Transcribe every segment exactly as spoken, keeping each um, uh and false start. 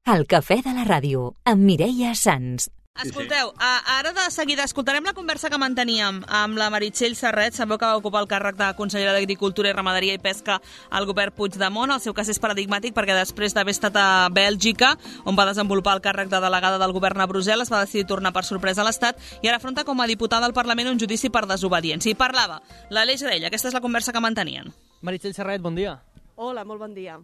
El cafè de la ràdio, amb Mireia Sans. Escolteu, ara de seguida escoltarem la conversa que manteníem amb la Meritxell Serret. Sabeu que va ocupar el càrrec de consellera d'Agricultura i Ramaderia i Pesca al govern Puigdemont. El seu cas és paradigmàtic perquè després d'haver estat a Bèlgica, on va desenvolupar el càrrec de delegada del govern a Brussel·les, va decidir tornar per sorpresa a l'Estat i ara afronta com a diputada al Parlament un judici per desobediència. I parlava l'Aleix Graella. Aquesta és la conversa que mantenien. Meritxell Serret, bon dia. Hola, molt bon dia.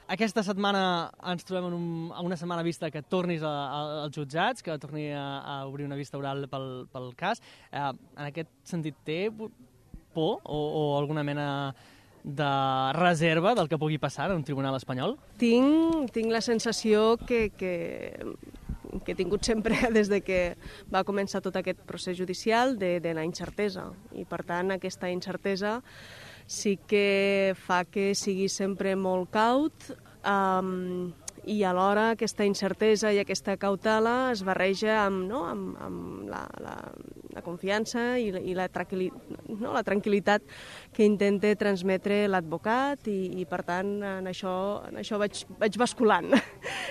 Aquesta setmana ens trobem en, un, en una setmana vista que tornis a, a, als jutjats, que torni a, a obrir una vista oral pel, pel cas. Eh, en aquest sentit, té por o, o alguna mena de reserva del que pugui passar en un tribunal espanyol? Tinc, tinc la sensació que, que, que he tingut sempre des de que va començar tot aquest procés judicial de, de la incertesa. I, per tant, aquesta incertesa sí que fa que sigui sempre molt caut um, i alhora aquesta incertesa i aquesta cautela es barreja amb, no, amb, amb la, la, la confiança i, i la, no, la tranquil·litat que intenta transmetre l'advocat i, i per tant en això, en això vaig, vaig basculant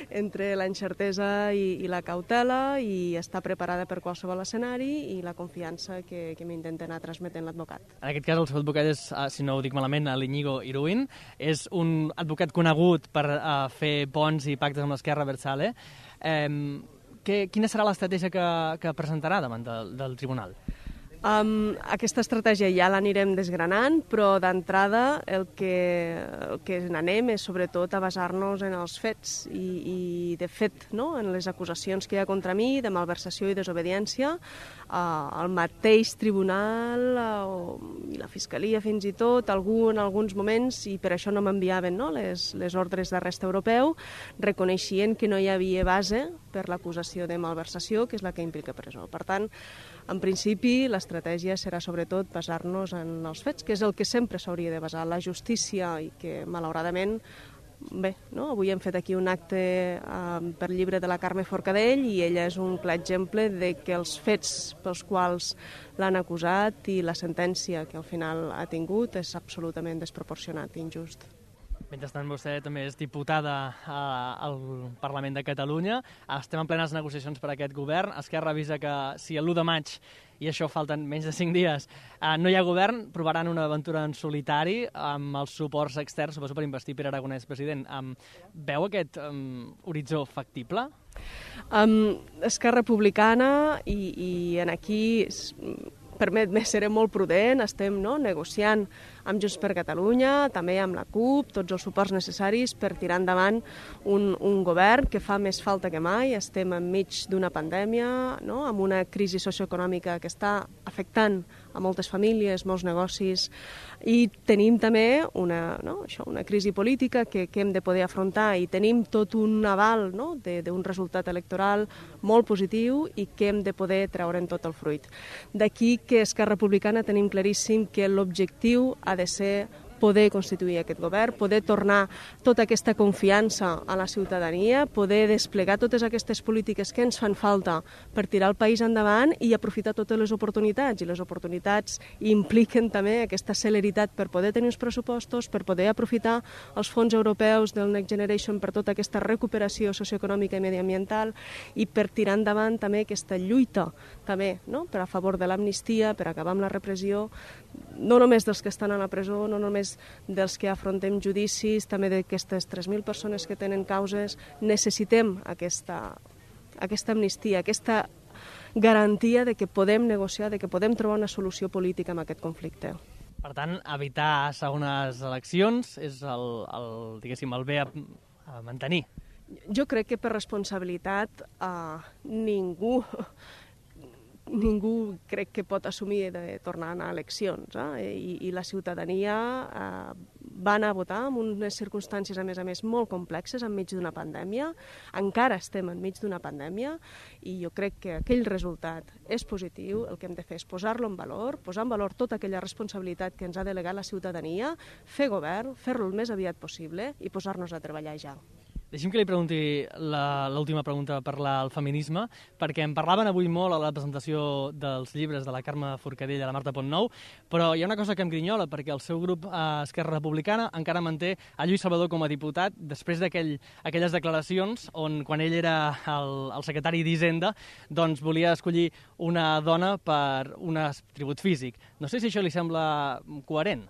entre la incertesa i, i la cautela i estar preparada per qualsevol escenari i la confiança que, que m'intenta anar transmetent l'advocat. En aquest cas el seu advocat és, si no ho dic malament, l'Iñigo Iruin. És un advocat conegut per uh, fer ponts i pactes amb l'Esquerra Abertzale. Eh, que, quina serà l'estratègia que, que presentarà davant del, del tribunal? Um, aquesta estratègia ja l'anirem desgranant, però d'entrada el que, el que n'anem és sobretot a basar-nos en els fets i, i de fet, no, en les acusacions que hi ha contra mi de malversació i desobediència. Uh, el mateix tribunal uh, i la fiscalia fins i tot, algú en alguns moments, i per això no m'enviaven no, les, les ordres d'arrest europeu, reconeixien que no hi havia base per l'acusació de malversació, que és la que implica presó. Per tant, en principi, l'estratègia serà sobretot basar-nos en els fets, que és el que sempre s'hauria de basar la justícia i que, malauradament, bé, no? Avui hem fet aquí un acte eh, per llibre de la Carme Forcadell i ella és un clar exemple de que els fets pels quals l'han acusat i la sentència que al final ha tingut és absolutament desproporcionat i injust. Mentrestant, vostè també és diputada al Parlament de Catalunya. Estem en plenes negociacions per a aquest govern. Esquerra avisa que si l'u de maig, i això falten menys de cinc dies, no hi ha govern, provaran una aventura en solitari amb els suports externs, suposo per investir Pere Aragonès president. Veu aquest um, horitzó factible? Um, Esquerra Republicana i, i en aquí permet-me, seré molt prudent, estem no, negociant amb Junts per Catalunya, també amb la CUP, tots els suports necessaris per tirar endavant un, un govern que fa més falta que mai. Estem enmig d'una pandèmia, no, amb una crisi socioeconòmica que està afectant a moltes famílies, molts negocis, i tenim també una, no, això, una crisi política que, que hem de poder afrontar i tenim tot un aval no, d'un resultat electoral molt positiu i que hem de poder treure'n tot el fruit. D'aquí que Esquerra Republicana tenim claríssim que l'objectiu ha de ser poder constituir aquest govern, poder tornar tota aquesta confiança a la ciutadania, poder desplegar totes aquestes polítiques que ens fan falta per tirar el país endavant i aprofitar totes les oportunitats. I les oportunitats impliquen també aquesta celeritat per poder tenir uns pressupostos, per poder aprofitar els fons europeus del Next Generation per tota aquesta recuperació socioeconòmica i mediambiental i per tirar endavant també aquesta lluita també, no? Per a favor de l'amnistia, per acabar amb la repressió, no només dels que estan a la presó, no només dels que afrontem judicis, també d'aquestes tres mil persones que tenen causes. Necessitem aquesta, aquesta amnistia, aquesta garantia de que podem negociar, de que podem trobar una solució política en aquest conflicte. Per tant, evitar segones eleccions és el, el, diguéssim, el bé a, a mantenir. Jo crec que per responsabilitat eh, ningú... ningú crec que pot assumir de tornar a anar a eleccions eh? I, i la ciutadania eh, va anar a votar en unes circumstàncies a més a més molt complexes enmig d'una pandèmia, encara estem enmig d'una pandèmia i jo crec que aquell resultat és positiu. El que hem de fer és posar-lo en valor, posar en valor tota aquella responsabilitat que ens ha delegat la ciutadania, fer govern, fer-lo el més aviat possible i posar-nos a treballar ja. Deixi'm que li pregunti l'última pregunta per al feminisme, perquè en parlaven avui molt a la presentació dels llibres de la Carme Forcadell i la Marta Pontnou, però hi ha una cosa que em grinyola, perquè el seu grup a Esquerra Republicana encara manté a Lluís Salvador com a diputat després d'aquelles aquell, declaracions on, quan ell era el, el secretari d'Hisenda, doncs volia escollir una dona per un atribut físic. No sé si això li sembla coherent.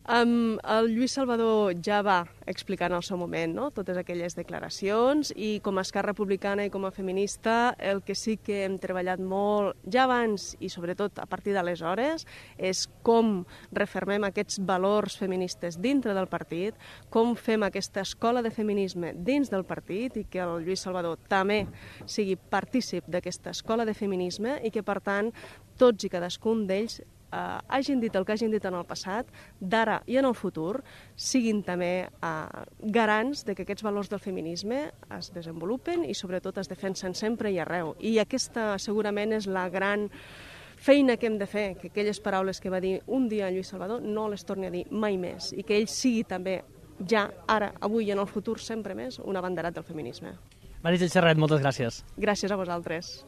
Um, el Lluís Salvador ja va explicar en el seu moment, no?, totes aquelles declaracions, i com a Esquerra Republicana i com a feminista el que sí que hem treballat molt ja abans i sobretot a partir d'aleshores és com refermem aquests valors feministes dintre del partit, com fem aquesta escola de feminisme dins del partit i que el Lluís Salvador també sigui partícip d'aquesta escola de feminisme i que, per tant, tots i cadascun d'ells Uh, hagin dit el que hagin dit en el passat, d'ara i en el futur, siguin també uh, garants de que aquests valors del feminisme es desenvolupen i sobretot es defensen sempre i arreu. I aquesta segurament és la gran feina que hem de fer, que aquelles paraules que va dir un dia en Lluís Salvador no les torni a dir mai més i que ell sigui també, ja, ara, avui i en el futur, sempre més, un abanderat del feminisme. Meritxell Serret, moltes gràcies. Gràcies a vosaltres.